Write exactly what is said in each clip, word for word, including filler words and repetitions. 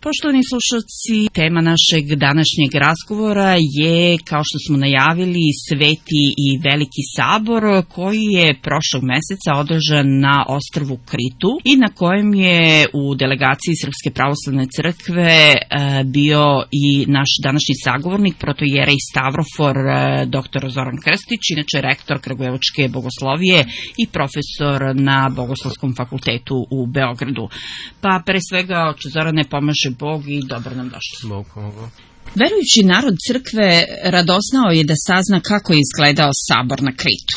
Poštovani slušalci, tema našeg današnjeg razgovora je, kao što smo najavili, Sveti i Veliki sabor koji je prošlog meseca održan na ostrvu Kritu i na kojem je u delegaciji Srpske pravoslavne crkve bio i naš današnji sagovornik, protoijerej Stavrofor dr Zoran Krstić, inače rektor Kragujevačke bogoslovije i profesor na Bogoslovskom fakultetu u Beogradu. Pa pre svega, oče Zorane, pomaže Bog i dobro nam došli. Bog pomogao. Verujući narod crkve radosnao je da sazna kako je izgledao sabor na Kritu.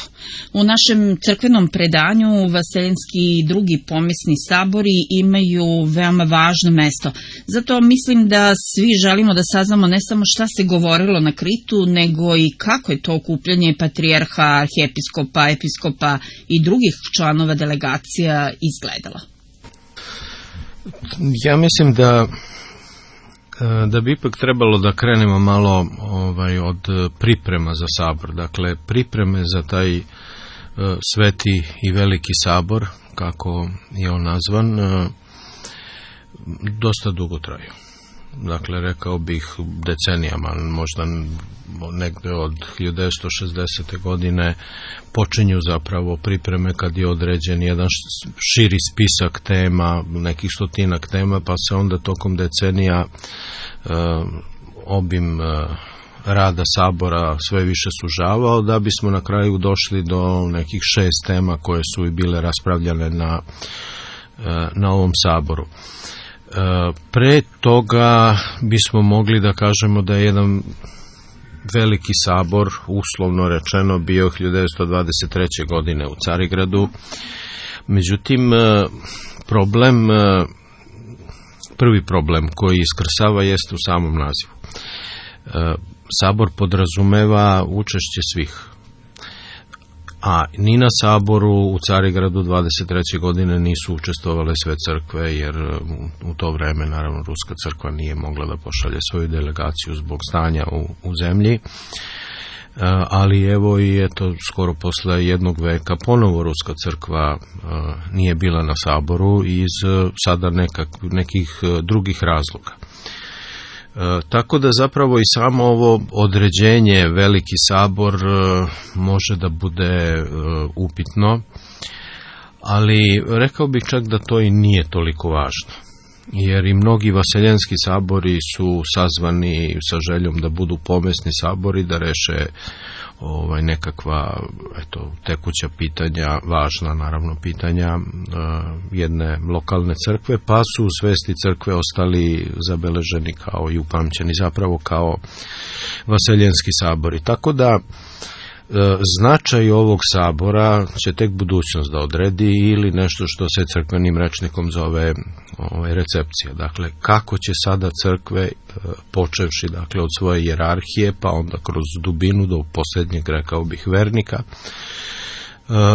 U našem crkvenom predanju vaseljenski i drugi pomesni sabori imaju veoma važno mesto. Zato mislim da svi želimo da saznamo ne samo šta se govorilo na Kritu, nego i kako je to okupljanje patrijarha, arhijepiskopa, episkopa i drugih članova delegacija izgledalo. Ja mislim da da bi ipak trebalo da krenemo malo ovaj, od priprema za sabor. Dakle, pripreme za taj uh, Sveti i Veliki sabor, kako je on nazvan, uh, dosta dugo traju. Dakle, rekao bih decenijama, možda negde od hiljadu devetsto šezdesete godine počinju zapravo pripreme kad je određen jedan širi spisak tema, nekih stotinak tema, pa se onda tokom decenija uh, obim uh, rada sabora sve više sužavao, da bismo na kraju došli do nekih šest tema koje su i bile raspravljane na, uh, na ovom saboru. Pre toga bismo mogli da kažemo da je jedan veliki sabor, uslovno rečeno, bio hiljadu devetsto dvadeset treće. godine u Carigradu. Međutim, problem, prvi problem koji iskrsava jeste u samom nazivu. Sabor podrazumeva učešće svih. A ni na saboru u Carigradu dvadeset treće. godine nisu učestvovale sve crkve, jer u to vreme, naravno, Ruska crkva nije mogla da pošalje svoju delegaciju zbog stanja u, u zemlji. Ali evo i eto, skoro posle jednog veka ponovo Ruska crkva nije bila na saboru iz sada nekak, nekih drugih razloga. E, tako da zapravo i samo ovo određenje Veliki sabor e, može da bude e, upitno, ali rekao bih čak da to i nije toliko važno, jer i mnogi vaseljenski sabori su sazvani sa željom da budu pomesni sabori, da reše ovaj, nekakva eto, tekuća pitanja, važna naravno pitanja uh, jedne lokalne crkve, pa su u svesti crkve ostali zabeleženi kao i upamćeni zapravo kao vaseljenski sabori. Tako da značaj ovog sabora će tek budućnost da odredi, ili nešto što se crkvenim rečnikom zove ovaj, recepcija. Dakle, kako će sada crkve, počevši dakle, od svoje hijerarhije, pa onda kroz dubinu do posljednjeg, rekao bih, vernika,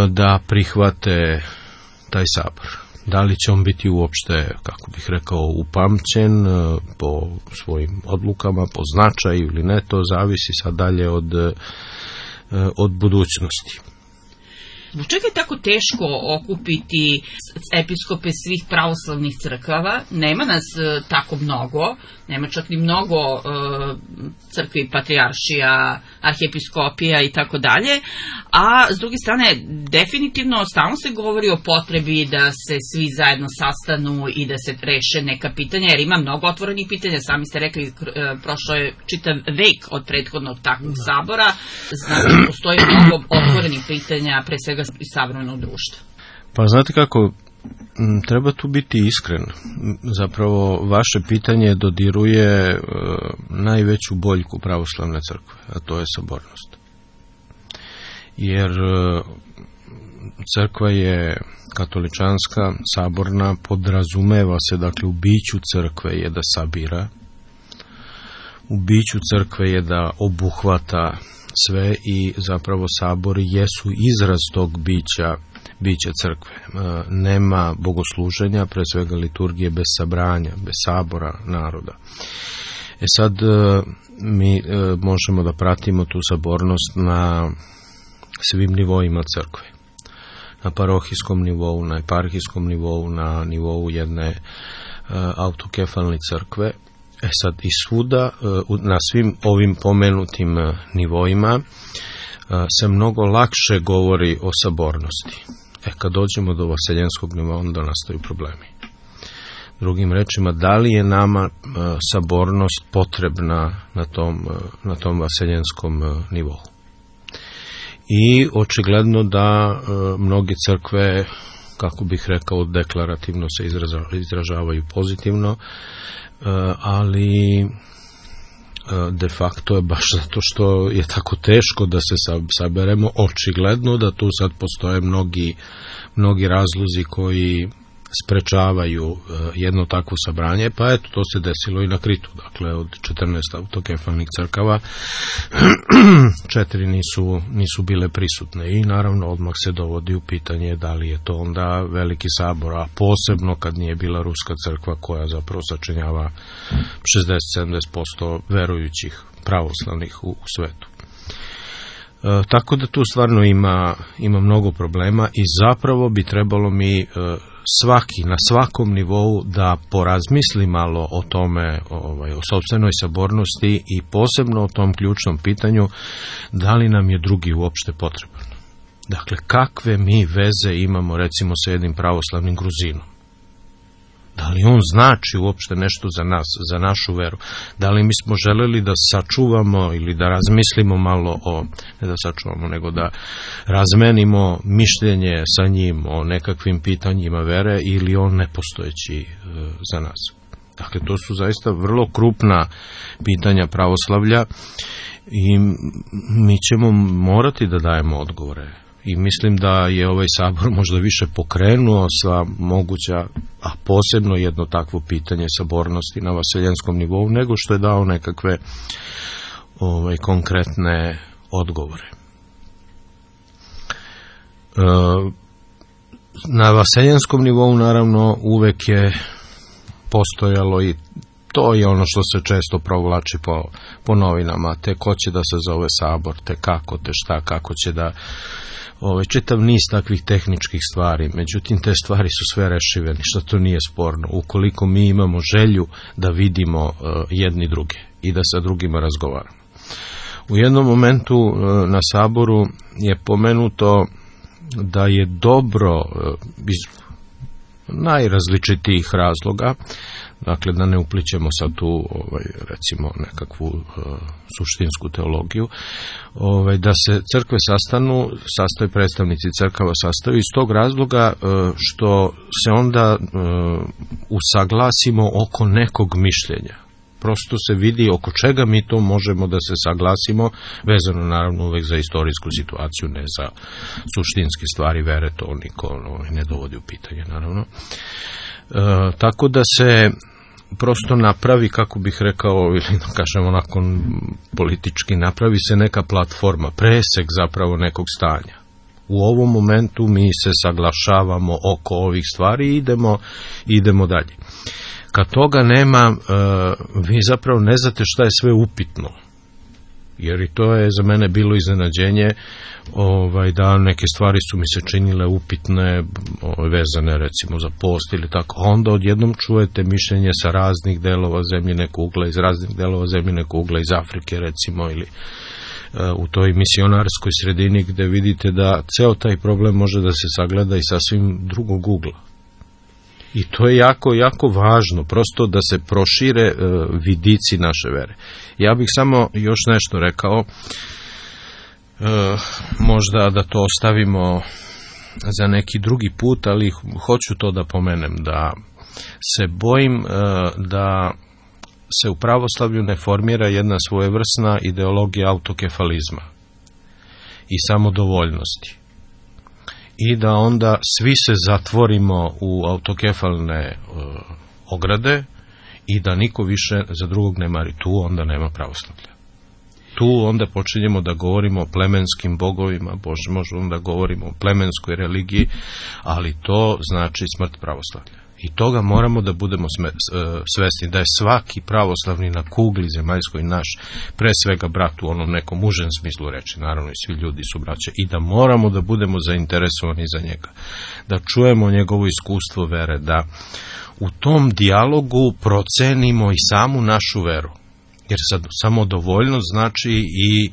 da prihvate taj sabor. Da li će on biti uopšte, kako bih rekao, upamćen po svojim odlukama, po značaju ili ne, to zavisi sad dalje od od budućnosti. Zbog čega je tako teško okupiti episkope svih pravoslavnih crkava? Nema nas e, tako mnogo, nema čak ni mnogo e, crkvi, patrijaršija, arhijepiskopija i tako dalje, a s druge strane definitivno stalno se govori o potrebi da se svi zajedno sastanu i da se reše neka pitanja, jer ima mnogo otvorenih pitanja. Sami ste rekli, e, prošlo je čitav vek od prethodnog takvog sabora, znači postoji mnogo otvorenih pitanja, pre svega i savremenog društva. Pa znate kako, treba tu biti iskren. Zapravo vaše pitanje dodiruje e, najveću boljku pravoslavne crkve, a to je sabornost. Jer e, crkva je katoličanska, saborna, podrazumeva se, dakle, u biću crkve je da sabira, u biću crkve je da obuhvata sve i zapravo sabori jesu izraz tog bića, bića crkve. E, nema bogosluženja, pre svega liturgije, bez sabranja, bez sabora naroda. E sad e, mi e, možemo da pratimo tu sabornost na svim nivoima crkve. Na parohijskom nivou, na eparhijskom nivou, na nivou jedne autokefalne crkve. E sad, i svuda, na svim ovim pomenutim nivoima, se mnogo lakše govori o sabornosti. E, kad dođemo do vaseljenskog nivoa, onda nastaju problemi. Drugim rečima, da li je nama sabornost potrebna na tom, na tom vaseljenskom nivou? I očigledno da mnoge crkve, kako bih rekao, deklarativno se izražavaju pozitivno, ali de facto je baš zato što je tako teško da se saberemo, očigledno da tu sad postoje mnogi, mnogi razlozi koji sprečavaju jedno takvo sabranje, pa eto, to se desilo i na Kritu. Dakle, od četrnaest autokefalnih crkava četiri nisu, nisu bile prisutne i naravno odmah se dovodi u pitanje da li je to onda veliki sabor, a posebno kad nije bila ruska crkva koja zapravo sačinjava šezdeset do sedamdeset posto verujućih pravoslavnih u, u svetu. E, tako da tu stvarno ima, ima mnogo problema i zapravo bi trebalo mi e, svaki, na svakom nivou da porazmisli malo o tome, ovaj, o sopstvenoj sabornosti i posebno o tom ključnom pitanju da li nam je drugi uopšte potreban. Dakle, kakve mi veze imamo recimo sa jednim pravoslavnim Gruzinom? Da li on znači uopšte nešto za nas, za našu veru? Da li mi smo želeli da sačuvamo ili da razmislimo malo o, ne da sačuvamo, nego da razmenimo mišljenje sa njim o nekakvim pitanjima vere ili on nepostojeći e, za nas? Dakle, to su zaista vrlo krupna pitanja pravoslavlja i mi ćemo morati da dajemo odgovore. I mislim da je ovaj sabor možda više pokrenuo sva moguća, a posebno jedno takvo pitanje sabornosti na vaseljenskom nivou, nego što je dao nekakve ovaj, konkretne odgovore. E, na vaseljenskom nivou naravno uvek je postojalo i to je ono što se često provlači po, po novinama, te ko će da se zove sabor, te kako, te šta, kako će da Ove, čitav niz takvih tehničkih stvari, međutim te stvari su sve rešive, ništa to nije sporno, ukoliko mi imamo želju da vidimo uh, jedni druge i da sa drugima razgovaramo. U jednom momentu uh, na saboru je pomenuto da je dobro uh, iz najrazličitijih razloga, dakle da ne uplićemo sad tu ovaj, recimo nekakvu uh, suštinsku teologiju, ovaj, da se crkve sastanu, sastaju predstavnici crkava sastaju iz tog razloga uh, što se onda uh, usaglasimo oko nekog mišljenja. Prosto se vidi oko čega mi to možemo da se saglasimo, vezano naravno uvek za istorijsku situaciju, ne za suštinske stvari vere, to niko ovaj, ne dovodi u pitanje naravno. E, tako da se prosto napravi, kako bih rekao, ili da kažemo nakon politički, napravi se neka platforma, presek zapravo nekog stanja. U ovom momentu mi se saglašavamo oko ovih stvari i idemo, idemo dalje. Kad toga nema, vi zapravo ne znate šta je sve upitno. Jer i to je za mene bilo iznenađenje, ovaj, da neke stvari su mi se činile upitne, ovaj, vezane recimo za post ili tako. Onda odjednom čujete mišljenje sa raznih delova zemljine kugle, iz raznih delova zemljine kugle, iz Afrike recimo, ili u toj misionarskoj sredini gde vidite da ceo taj problem može da se sagleda i sasvim drugog ugla. I to je jako, jako važno, prosto da se prošire e, vidici naše vere. Ja bih samo još nešto rekao, e, možda da to ostavimo za neki drugi put, ali hoću to da pomenem, da se bojim e, da se u pravoslavlju ne formira jedna svojevrsna ideologija autokefalizma i samodovoljnosti. I da onda svi se zatvorimo u autokefalne uh, ograde i da niko više za drugog ne mari. Tu onda nema pravoslavlja. Tu onda počinjemo da govorimo o plemenskim bogovima, možemo da govorimo o plemenskoj religiji, ali to znači smrt pravoslavlja. I toga moramo da budemo svesni, da je svaki pravoslavni na kugli zemaljskoj naš, pre svega brat u onom nekom užem smislu reči, naravno i svi ljudi su braća, i da moramo da budemo zainteresovani za njega, da čujemo njegovo iskustvo vere, da u tom dijalogu procenimo i samu našu veru, jer sad samodovoljnost znači i e,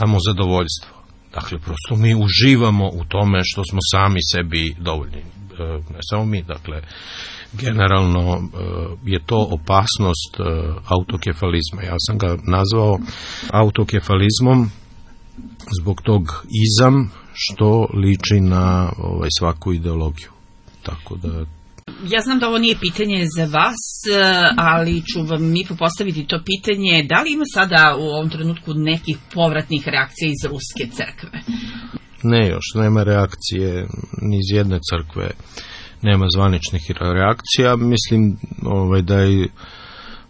samozadovoljstvo. Dakle, prosto mi uživamo u tome što smo sami sebi dovoljni. Ne samo mi, dakle, generalno je to opasnost autokefalizma. Ja sam ga nazvao autokefalizmom zbog tog izam što liči na ovaj, svaku ideologiju. Tako da... Ja znam da ovo nije pitanje za vas, ali ću vam mi postaviti to pitanje. Da li ima sada u ovom trenutku nekih povratnih reakcija iz Ruske crkve? Ne još, nema reakcije ni iz jedne crkve, nema zvaničnih reakcija. Mislim ovaj, da je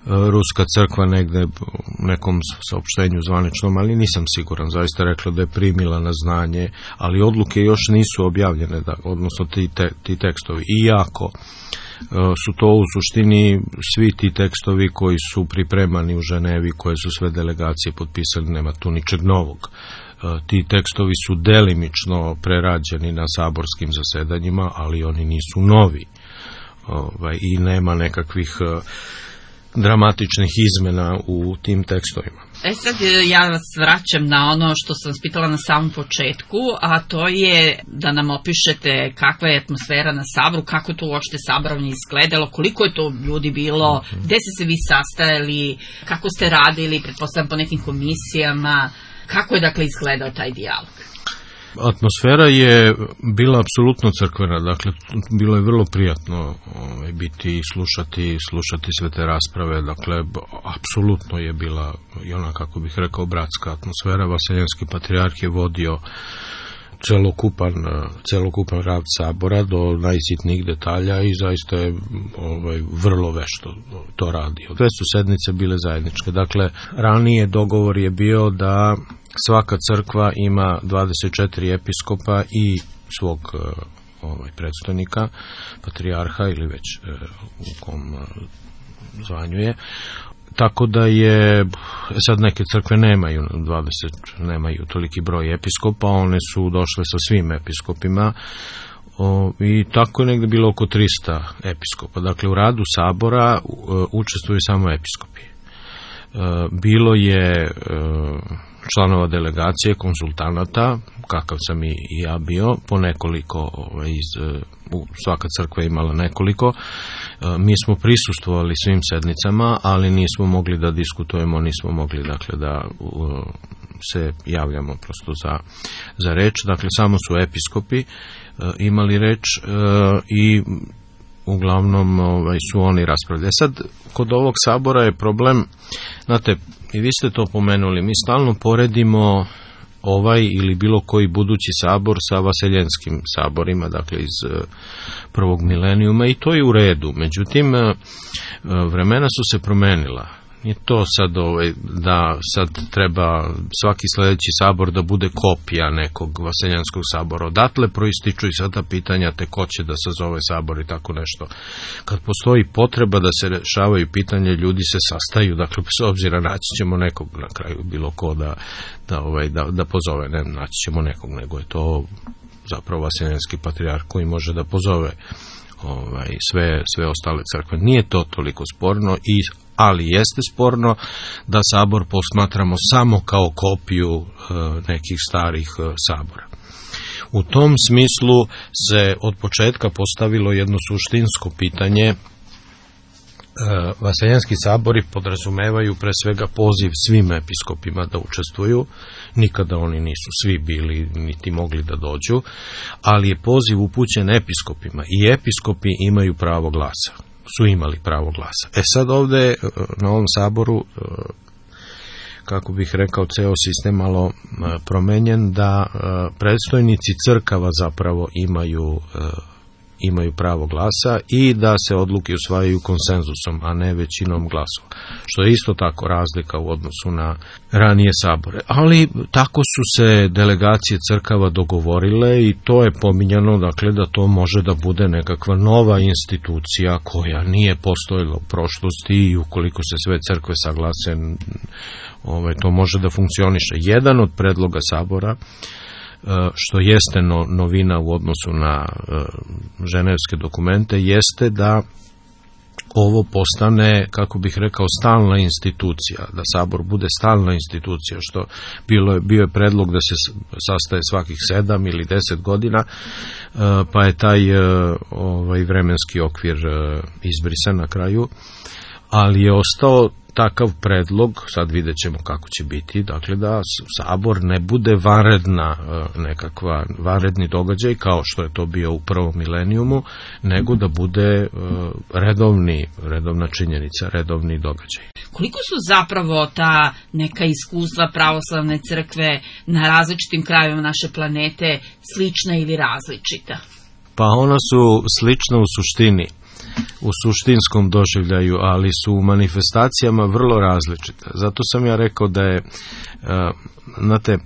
Ruska crkva negde u nekom saopštenju zvaničnom, ali nisam siguran, zaista rekla da je primila na znanje, ali odluke još nisu objavljene, da, odnosno ti, te, ti tekstovi. Iako su to u suštini svi ti tekstovi koji su pripremani u Ženevi, koje su sve delegacije potpisali, nema tu ničeg novog. Ti tekstovi su delimično prerađeni na saborskim zasedanjima, ali oni nisu novi. Ovaj, i nema nekakvih dramatičnih izmena u tim tekstovima. E sad ja vas vraćam na ono što sam vas pitala na samom početku, a to je da nam opišete kakva je atmosfera na Saboru, kako je to uopšte saborovanje izgledalo, koliko je to ljudi bilo, gde ste se vi sastajali, kako ste radili, pretpostavljam po nekim komisijama, kako je dakle izgledao taj dijalog? Atmosfera je bila apsolutno crkvena, dakle bilo je vrlo prijatno ovaj, biti i slušati, slušati sve te rasprave, dakle apsolutno je bila i ona, kako bih rekao, bratska atmosfera. Vaseljenski patrijarh je vodio celokupan, celokupan rad sabora do najsitnijih detalja i zaista je ovaj, vrlo vešto to radio. Sve su sednice bile zajedničke, dakle ranije dogovor je bio da svaka crkva ima dvadeset četiri episkopa i svog ovaj, predstojnika, patrijarha ili već u kom zvanju je. Tako da je, sad neke crkve nemaju dvadeset, nemaju toliki broj episkopa, one su došle sa svim episkopima o, i tako je negde bilo oko trista episkopa. Dakle, u radu sabora u, učestvuju samo episkopi. E, bilo je e, članova delegacije, konsultanata, kakav sam i ja bio, po nekoliko, ovaj, iz, svaka crkva je imala nekoliko. Mi smo prisustvovali svim sednicama, ali nismo mogli da diskutujemo, nismo mogli dakle da uh, se javljamo prosto za, za reč. Dakle, samo su episkopi uh, imali reč uh, i uglavnom ovaj, su oni raspravljali. Sad, kod ovog sabora je problem, znate, i vi ste to pomenuli, mi stalno poredimo ovaj ili bilo koji budući sabor sa vaseljenskim saborima, dakle iz prvog milenijuma, i to je u redu. Međutim, vremena su se promenila. Nije to sad ovaj, da sad treba svaki sledeći sabor da bude kopija nekog vaseljanskog sabora. Odatle proističu i sada pitanja te ko će da sazove sabor i tako nešto. Kad postoji potreba da se rešavaju pitanje, ljudi se sastaju, dakle bez obzira naći ćemo nekog na kraju, bilo ko da, da, ovaj, da, da pozove, ne naći ćemo nekog, nego je to zapravo vaseljanski patrijarh koji može da pozove ovaj, sve, sve ostale crkve. Nije to toliko sporno, i ali jeste sporno da sabor posmatramo samo kao kopiju e, nekih starih e, sabora. U tom smislu se od početka postavilo jedno suštinsko pitanje. E, Vaseljenski sabori podrazumevaju pre svega poziv svim episkopima da učestvuju, nikada oni nisu svi bili niti mogli da dođu, ali je poziv upućen episkopima i episkopi imaju pravo glasa. Su imali pravo glasa. E sad ovde na ovom saboru, kako bih rekao, ceo sistem malo promenjen, da predstojnici crkava zapravo imaju imaju pravo glasa i da se odluke usvajaju konsenzusom, a ne većinom glasova. Što je isto tako razlika u odnosu na ranije sabore. Ali tako su se delegacije crkava dogovorile i to je pominjano, dakle, da to može da bude nekakva nova institucija koja nije postojala u prošlosti i ukoliko se sve crkve saglase, ovaj, to može da funkcioniše. Jedan od predloga sabora, što jeste no, novina u odnosu na uh, ženevske dokumente, jeste da ovo postane, kako bih rekao, stalna institucija, da sabor bude stalna institucija, što bilo je, bio je predlog da se sastaje svakih sedam ili deset godina, uh, pa je taj uh, ovaj vremenski okvir uh, izbrisan na kraju, ali je ostao takav predlog, sad vidjet ćemo kako će biti, dakle da sabor ne bude vanredna nekakva, vanredni događaj kao što je to bio u prvom milenijumu, nego da bude redovni, redovna činjenica, redovni događaj. Koliko su zapravo ta neka iskustva pravoslavne crkve na različitim krajevima naše planete slična ili različita? Pa ona su slična u suštini, u suštinskom doživljaju, ali su u manifestacijama vrlo različite. Zato sam ja rekao da je, znate,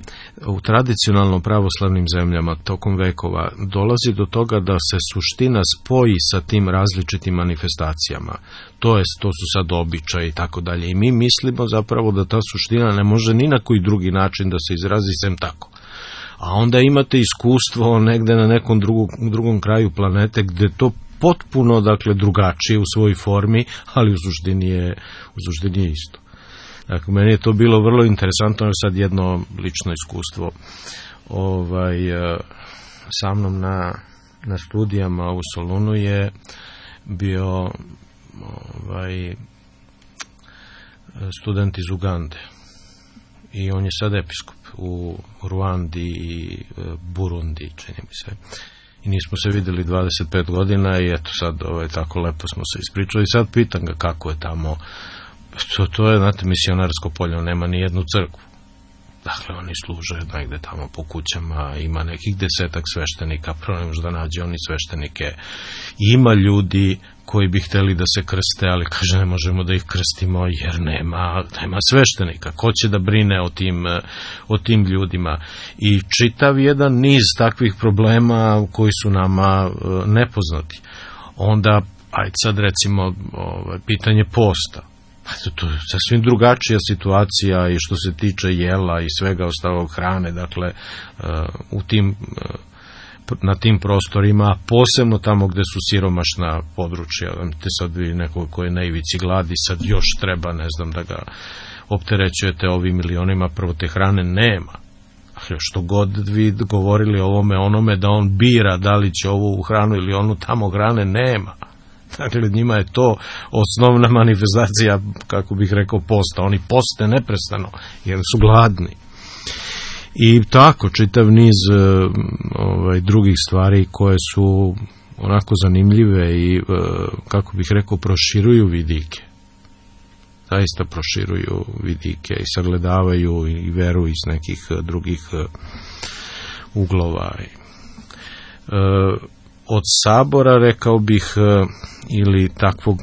u tradicionalno pravoslavnim zemljama tokom vekova dolazi do toga da se suština spoji sa tim različitim manifestacijama. To je, to su sad običaji i tako dalje. I mi mislimo zapravo da ta suština ne može ni na koji drugi način da se izrazi sem tako. A onda imate iskustvo negde na nekom drugom, drugom kraju planete gde to potpuno, dakle, drugačije u svojoj formi, ali u suštini je, u suštini je isto. Dakle, meni je to bilo vrlo interesantno, je sad jedno lično iskustvo. Ovaj, sa mnom na, na studijama u Solunu je bio ovaj, student iz Ugande i on je sad episkop u Ruandi i Burundi, čini mi se. I nismo se videli dvadeset pet godina i eto sad ovaj, tako lepo smo se ispričali. I sad pitam ga kako je tamo. To, to je, znate, misionarsko polje, nema ni jednu crkvu. Dakle, oni služe negde tamo po kućama, ima nekih desetak sveštenika, prvo ne može da nađe oni sveštenike. Ima ljudi koji bi hteli da se krste, ali kaže ne možemo da ih krstimo jer nema, nema sveštenika. Ko će da brine o tim, o tim ljudima? I čitav jedan niz takvih problema koji su nama nepoznati. Onda, ajde sad recimo ovaj, pitanje posta. To je sasvim drugačija situacija i što se tiče jela i svega ostalog, hrane, dakle u tim, na tim prostorima, posebno tamo gde su siromašna područja. Te sad vi nekog koji je na ivici gladi, sad još treba, ne znam, da ga opterećujete ovim milionima, prvo te hrane nema. Što god vi govorili ovome onome da on bira da li će ovu hranu ili onu tamo, hrane nema. Dakle, njima je to osnovna manifestacija, kako bih rekao, posta. Oni poste neprestano, jer su gladni. I tako, čitav niz ovaj, drugih stvari koje su onako zanimljive i, kako bih rekao, proširuju vidike. Zaista proširuju vidike i sagledavaju i veru iz nekih drugih uglova. Od sabora, rekao bih, ili takvog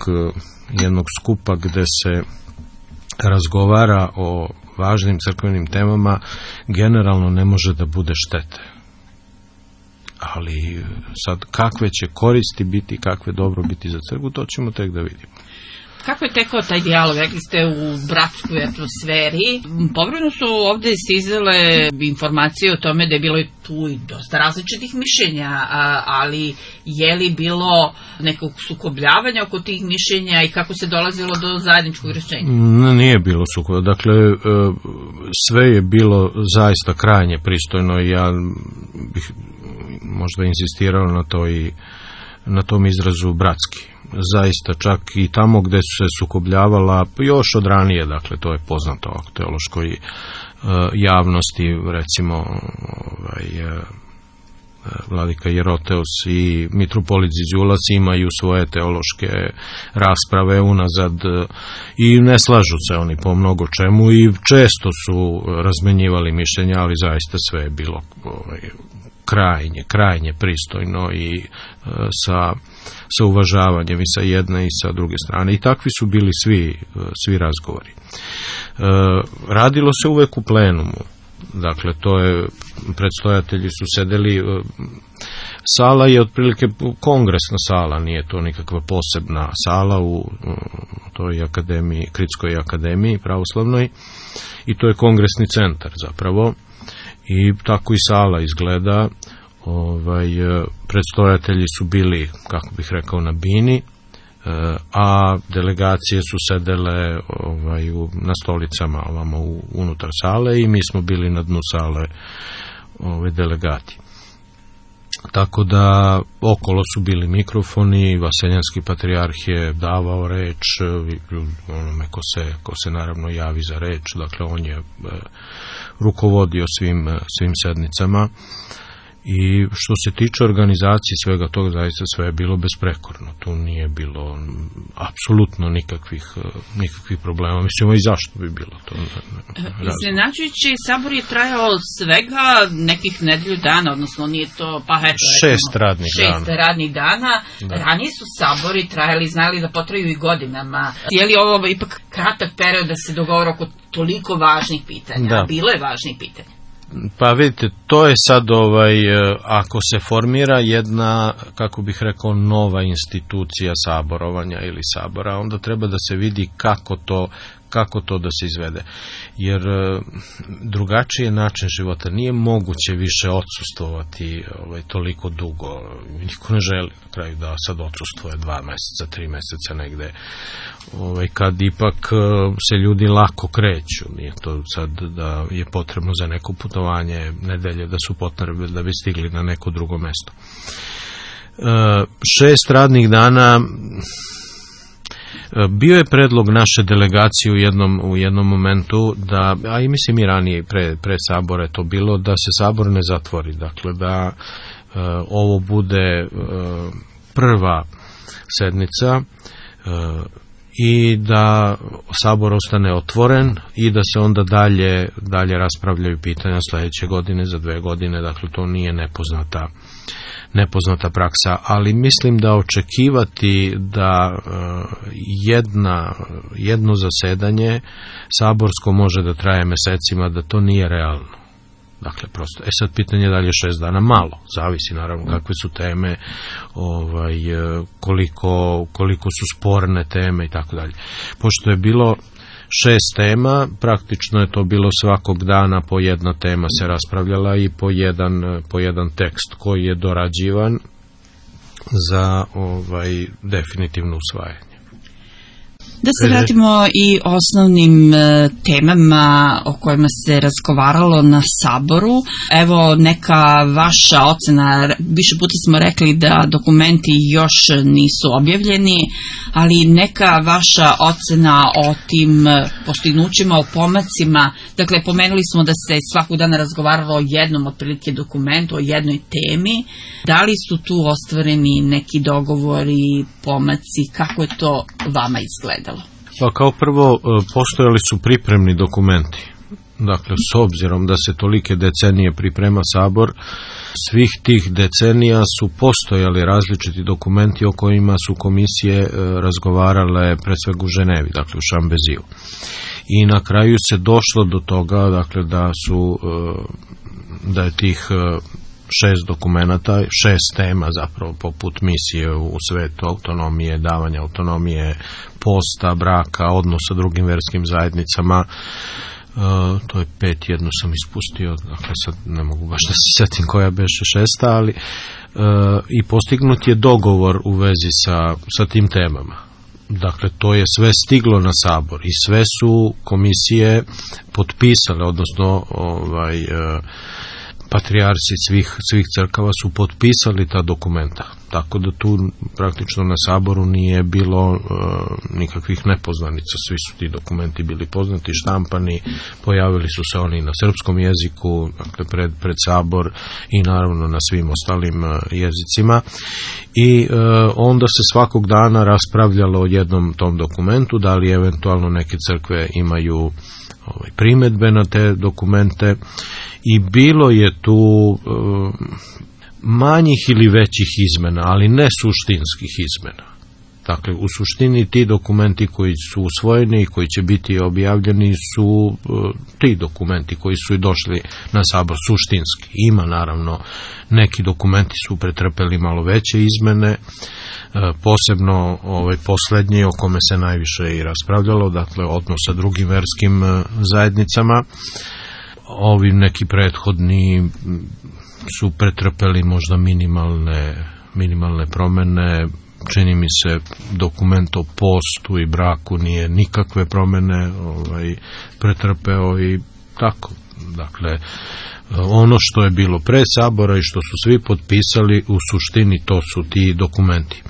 jednog skupa gde se razgovara o važnim crkvenim temama, generalno ne može da bude štete. Ali sad kakve će koristi biti, kakve dobro biti za crkvu, to ćemo tek da vidimo. Kako je tekao taj dijalog? Rekli ste u bratskoj atmosferi. Povremeno su ovde stizale informacije o tome da je bilo tu i dosta različitih mišljenja, ali je li bilo nekog sukobljavanja oko tih mišljenja i kako se dolazilo do zajedničkog rešenja? Nije bilo sukoba. Dakle, sve je bilo zaista krajnje pristojno i ja bih možda insistirao na to i na tom izrazu bratski. Zaista, čak i tamo gde su se sukobljavala još od ranije, dakle to je poznato o teološkoj uh, javnosti, recimo ovaj, uh, vladika Jeroteos i mitropolit Ziđulac imaju svoje teološke rasprave unazad uh, i ne slažu se oni po mnogo čemu i često su razmenjivali mišljenja, ali zaista sve je bilo ovaj, krajnje, krajnje pristojno i sa, sa uvažavanjem i sa jedne i sa druge strane. I takvi su bili svi, svi razgovori. Radilo se uvek u plenumu. Dakle, to je, predstojatelji su sedeli, sala je otprilike kongresna sala, nije to nikakva posebna sala u, u toj akademiji, Kritskoj akademiji pravoslavnoj, i to je kongresni centar zapravo, i tako i sala izgleda. Ovaj, predstojatelji su bili, kako bih rekao, na bini, a delegacije su sedele ovaj, u, na stolicama ovamo u, unutar sale, i mi smo bili na dnu sale ovaj, delegati. Tako da okolo su bili mikrofoni, Vaseljanski patrijarh je davao reč onome ko se, ko se naravno javi za reč, dakle on je e, rukovodio svim, svim sednicama. I što se tiče organizacije svega toga, zaista sve je bilo besprekorno. Tu nije bilo apsolutno nikakvih, nikakvih problema. Mislim, i zašto bi bilo to? Iznenađujući, sabor je trajao svega nekih nedelju dana, odnosno nije to, pa eto, šest radnih šest dana. radnih dana. Da. Ranije su sabori trajali, znali da potraju i godinama. Je li ovo ipak kratak period da se dogovore oko toliko važnih pitanja? Da. Bilo je važnih pitanja. Pa vidite, to je sad ovaj, ako se formira jedna, kako bih rekao, nova institucija saborovanja ili sabora, onda treba da se vidi kako to, kako to da se izvede. Jer drugačiji način života, nije moguće više odsustvovati ovaj, toliko dugo. Niko ne želi na kraju da sad odsustvuje dva meseca, tri meseca negde. Ovaj, kad ipak se ljudi lako kreću, nije to sad da je potrebno za neko putovanje nedelje da su potrebne da bi stigli na neko drugo mesto. E, šest radnih dana. Bio je predlog naše delegacije u jednom, u jednom momentu da, a i mislim i ranije pre, pre sabora je to bilo, da se sabor ne zatvori, dakle da e, ovo bude e, prva sednica e, i da sabor ostane otvoren i da se onda dalje, dalje raspravljaju pitanja sledeće godine, za dve godine, dakle to nije nepoznata nepoznata praksa, ali mislim da očekivati da jedna, jedno zasedanje saborsko može da traje mesecima, da to nije realno. Dakle, prosto, e sad pitanje da li je šest dana malo, zavisi naravno kakve su teme, ovaj, koliko, koliko su sporne teme i tako dalje. Pošto je bilo šest tema, praktično je to bilo svakog dana po jedna tema se raspravljala i po jedan, po jedan tekst koji je dorađivan za ovaj, definitivno usvajanje. Da se vratimo i osnovnim e, temama o kojima se razgovaralo na saboru. Evo neka vaša ocena, više puta smo rekli da dokumenti još nisu objavljeni, ali neka vaša ocena o tim postignućima, o pomacima. Dakle, pomenuli smo da se svakog dana razgovaralo o jednom otprilike dokumentu, o jednoj temi. Da li su tu ostvareni neki dogovori, pomaci, kako je to vama izgledalo? Pa kao prvo, postojali su pripremni dokumenti. Dakle, s obzirom da se tolike decenije priprema sabor, svih tih decenija su postojali različiti dokumenti o kojima su komisije razgovarale pre svega u Ženevi, dakle u Šambeziju. I na kraju se došlo do toga, dakle, da su, da je tih šest dokumenata, šest tema zapravo poput misije u svetu, autonomije, davanja autonomije, posta, braka, odnos sa drugim verskim zajednicama, uh, to je pet, jednu sam ispustio, dakle sad ne mogu baš da se setim koja beše šesta, ali uh, i postignut je dogovor u vezi sa, sa tim temama. Dakle, to je sve stiglo na sabor i sve su komisije potpisale, odnosno ovaj, uh, patrijarsi svih, svih crkava su potpisali ta dokumenta, tako da tu praktično na saboru nije bilo e, nikakvih nepoznanica, svi su ti dokumenti bili poznati, štampani, pojavili su se oni na srpskom jeziku, dakle pred, pred sabor i naravno na svim ostalim e, jezicima i e, onda se svakog dana raspravljalo o jednom tom dokumentu, da li eventualno neke crkve imaju ovaj, primedbe na te dokumente i bilo je tu manjih ili većih izmena, ali ne suštinskih izmena. Dakle, u suštini ti dokumenti koji su usvojeni i koji će biti objavljeni su ti dokumenti koji su i došli na sabor suštinski. Ima naravno, neki dokumenti su pretrpeli malo veće izmene, posebno ovaj poslednji o kome se najviše i raspravljalo, dakle odnos sa drugim verskim zajednicama. Ovi neki prethodni su pretrpeli možda minimalne, minimalne promene. Čini mi se dokument o postu i braku nije nikakve promene ovaj, pretrpeo i tako. Dakle, ono što je bilo pre sabora i što su svi potpisali, u suštini to su ti dokumenti.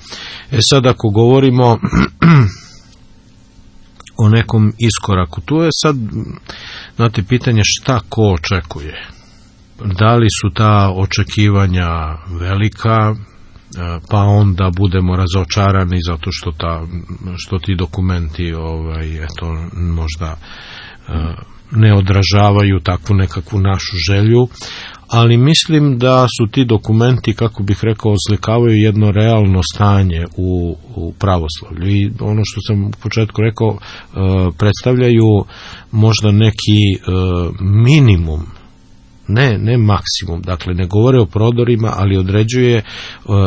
E sad, ako govorimo o nekom iskoraku, tu je sad, znate, pitanje šta ko očekuje. Da li su ta očekivanja velika, pa onda budemo razočarani zato što, ta, što ti dokumenti ovaj, eto, možda ne odražavaju takvu nekakvu našu želju, ali mislim da su ti dokumenti, kako bih rekao, oslikavaju jedno realno stanje u, u pravoslavlju i ono što sam u početku rekao, predstavljaju možda neki minimum, ne, ne maksimum, dakle ne govore o prodorima, ali određuje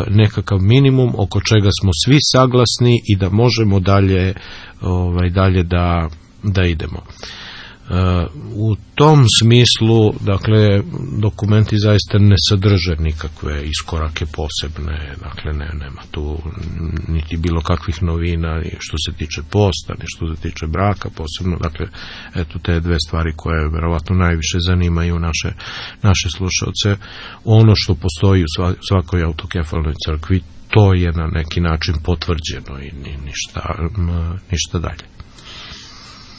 nekakav minimum oko čega smo svi saglasni i da možemo dalje, ovaj, dalje da, da idemo. U tom smislu, dakle, dokumenti zaista ne sadrže nikakve iskorake posebne, dakle, ne, nema tu niti bilo kakvih novina što se tiče posta, ni što se tiče braka posebno, dakle, eto te dve stvari koje verovatno najviše zanimaju naše, naše slušalce. Ono što postoji u svakoj autokefalnoj crkvi, to je na neki način potvrđeno i ništa, ništa dalje.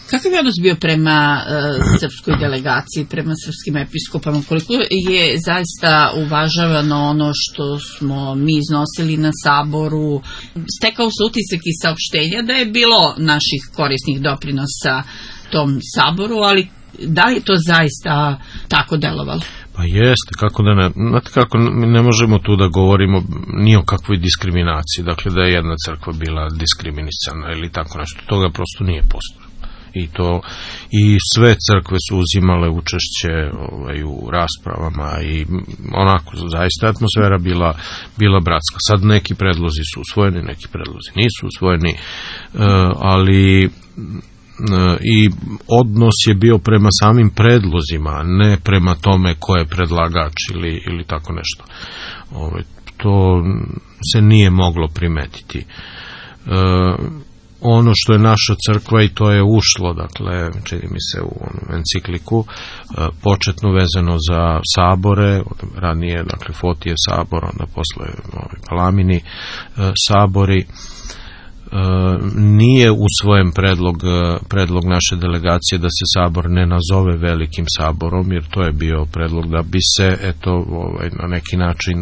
Kakav je odnos bio prema uh, srpskoj delegaciji, prema srpskim episkopama? Koliko je zaista uvažavano ono što smo mi iznosili na saboru? Stekao se utisak i saopštenja da je bilo naših korisnih doprinosa tom saboru, ali da li je to zaista tako delovalo? Pa jeste, kako da ne, znate kako, ne možemo tu da govorimo ni o kakvoj diskriminaciji, dakle da je jedna crkva bila diskriminisana ili tako nešto, toga prosto nije postojalo. I to i sve crkve su uzimale učešće ovaj, u raspravama i onako zaista atmosfera bila, bila bratska. Sad neki predlozi su usvojeni, neki predlozi nisu usvojeni, ali i odnos je bio prema samim predlozima, ne prema tome ko je predlagač ili, ili tako nešto. Ovaj, to se nije moglo primetiti. Ono što je naša crkva, i to je ušlo, dakle, čini mi se u encikliku, početno vezano za sabore, ranije, dakle, Fotijev sabor, onda posle ovaj, Palamini sabori, nije usvojen predlog, predlog naše delegacije da se sabor ne nazove velikim saborom, jer to je bio predlog da bi se, eto, ovaj, na neki način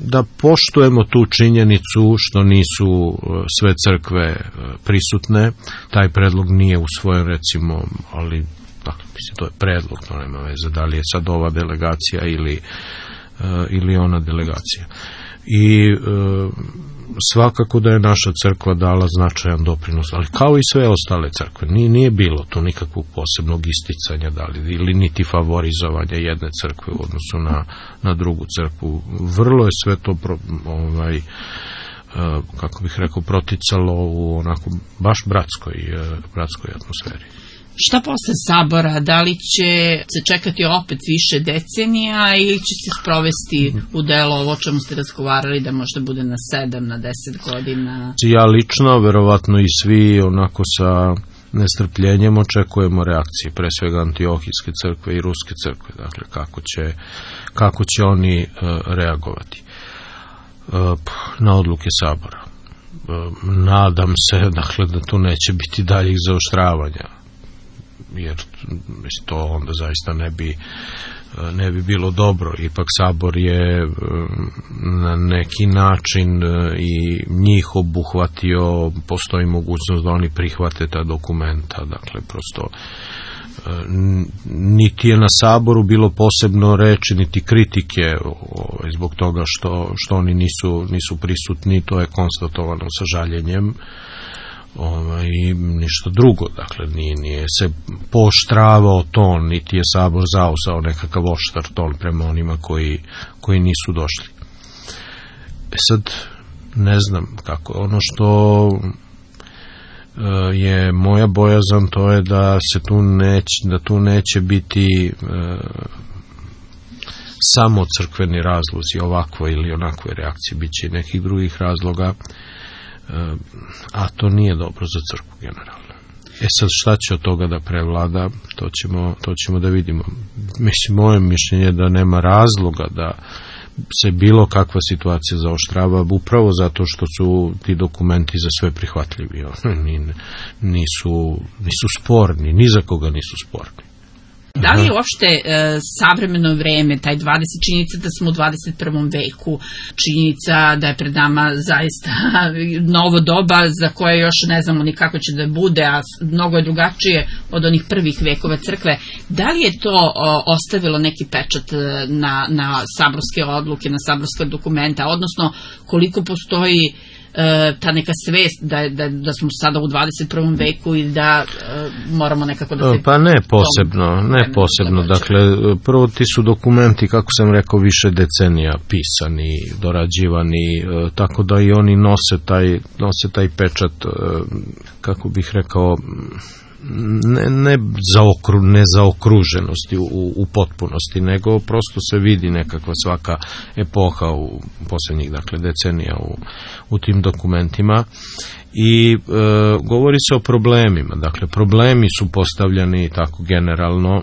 da poštujemo tu činjenicu što nisu sve crkve prisutne. Taj predlog nije usvojen, recimo, ali dakle, to je predlog, to nema veze da li je sad ova delegacija ili, ili ona delegacija. I svakako da je naša crkva dala značajan doprinos, ali kao i sve ostale crkve, nije, nije bilo tu nikakvog posebnog isticanja da li, ili niti favorizovanja jedne crkve u odnosu na, na drugu crkvu. Vrlo je sve to pro, ovaj, kako bih rekao, proticalo u onako baš bratskoj, bratskoj atmosferi. Šta posle sabora? Da li će se čekati opet više decenija ili će se sprovesti u delo ovo o čemu ste razgovarali da možda bude na sedam, na deset godina? Ja lično, verovatno i svi onako sa nestrpljenjem očekujemo reakcije, pre svega Antiohijske crkve i Ruske crkve, dakle kako će, kako će oni uh, reagovati uh, na odluke sabora. Uh, nadam se, dakle, da tu neće biti daljih zaoštravanja, jer to onda zaista ne bi, ne bi bilo dobro. Ipak sabor je na neki način i njih obuhvatio, postoji mogućnost da oni prihvate ta dokumenta, dakle prosto niti je na Saboru bilo posebno reči niti kritike zbog toga što, što oni nisu, nisu prisutni, to je konstatovano sa žaljenjem. Ovaj, i ništa drugo, dakle nije, nije se pooštravao ton, niti je Sabor zauzao nekakav oštar ton prema onima koji, koji nisu došli. E sad, ne znam kako, ono što je moja bojazan, to je da se tu neće, da tu neće biti e, samo crkveni razlozi ovakvoj ili onakvoj reakcije, bit će i nekih drugih razloga, a to nije dobro za crkvu generalno. E sad, šta će od toga da prevlada, to ćemo, to ćemo da vidimo. Mislim, moje mišljenje je da nema razloga da se bilo kakva situacija zaoštrava, upravo zato što su ti dokumenti za sve prihvatljivi. Nisu, nisu sporni, ni za koga nisu sporni. Da li je uopšte e, savremeno vreme, taj dvadeset, činjenica da smo u dvadeset prvom veku, činjenica da je pred nama zaista novo doba za koje još ne znamo ni kako će da bude, a mnogo je drugačije od onih prvih vekova crkve. Da li je to o, ostavilo neki pečat na, na saborske odluke, na saborske dokumenta, odnosno koliko postoji ta neka svest da, da, da smo sada u dvadeset prvom veku i da uh, moramo nekako da se... Pa ne posebno, ne posebno. Dakle, prvo ti su dokumenti, kako sam rekao, više decenija pisani, dorađivani, uh, tako da i oni nose taj, nose taj pečat, uh, kako bih rekao, ne, ne, zaokru, ne zaokruženosti u, u potpunosti, nego prosto se vidi nekakva svaka epoha u posljednjih, dakle, decenija u, u tim dokumentima i e, govori se o problemima, dakle, problemi su postavljani tako generalno e,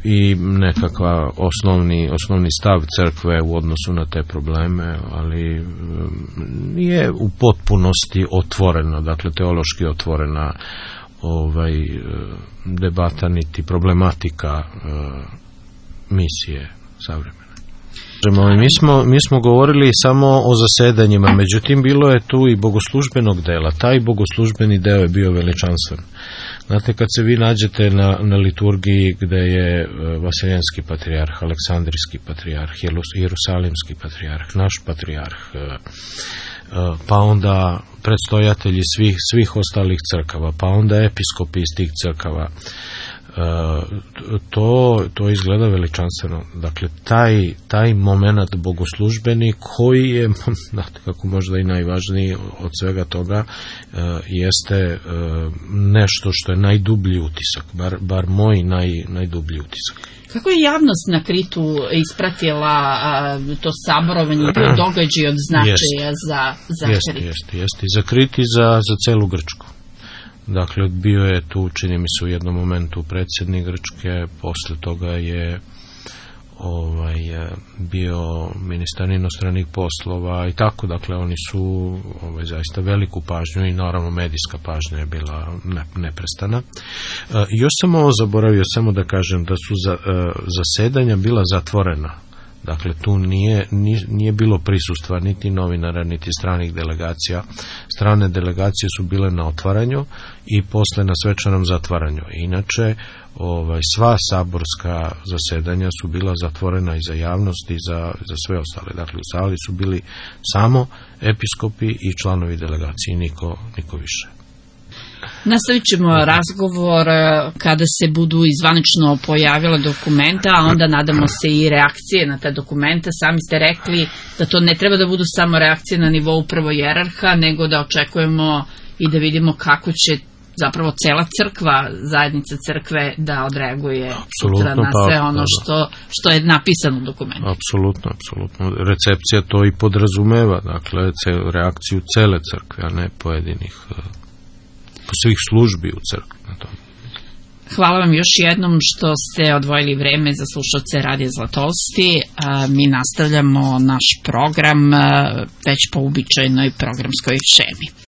i nekakva osnovni, osnovni stav crkve u odnosu na te probleme, ali e, nije u potpunosti otvorena, dakle, teološki otvorena ovaj debata niti problematika e, misije savremene. Mi smo, mi smo govorili samo o zasedanjima, međutim bilo je tu i bogoslužbenog dela. Taj bogoslužbeni deo je bio veličanstven. Znate, kad se vi nađete na, na liturgiji gde je Vaseljenski patrijarh, Aleksandrijski patrijarh, Jerusalimski patrijarh, naš patrijarh, pa onda predstojatelji svih, svih ostalih crkava, pa onda episkopi iz tih crkava, to, to izgleda veličanstveno. Dakle, taj, taj moment bogoslužbeni koji je, znate, kako možda i najvažniji od svega toga, jeste nešto što je najdublji utisak, bar, bar moj naj, najdublji utisak. Kako je javnost na Kritu ispratila a, to saborovanje i bio događaj od značaja jest, za, za jest, Krit? Jeste, jeste. I za Krit i za, za celu Grčku. Dakle, bio je tu, čini mi se u jednom momentu predsjednik Grčke, posle toga je ovaj, bio ministar inostranih poslova i tako, dakle, oni su ovaj, zaista veliku pažnju i naravno medijska pažnja je bila ne, neprestana. E, još sam ovo zaboravio samo da kažem da su za, e, zasedanja bila zatvorena. Dakle, tu nije, nije bilo prisustva niti novinara, niti stranih delegacija. Strane delegacije su bile na otvaranju i posle na svečanom zatvaranju. Inače, ovaj, sva saborska zasedanja su bila zatvorena i za javnost i za, za sve ostale. Dakle, u sali su bili samo episkopi i članovi delegacije, niko, niko više. Nastavit ćemo razgovor kada se budu izvanično pojavila dokumenta, a onda nadamo se i reakcije na ta dokumenta. Sami ste rekli da to ne treba da budu samo reakcije na nivou prvojerarha, nego da očekujemo i da vidimo kako će zapravo cela crkva, zajednica crkve da odreaguje sutra na sve ono što, što je napisano u dokumentu. Apsolutno, apsolutno. Recepcija to i podrazumeva, dakle, reakciju cele crkve, a ne pojedinih svih službi u crkvi na tom. Hvala vam još jednom što ste odvojili vreme za slušalce Radija Zlatolsti. Mi nastavljamo naš program već po uobičajenoj programskoj šemi.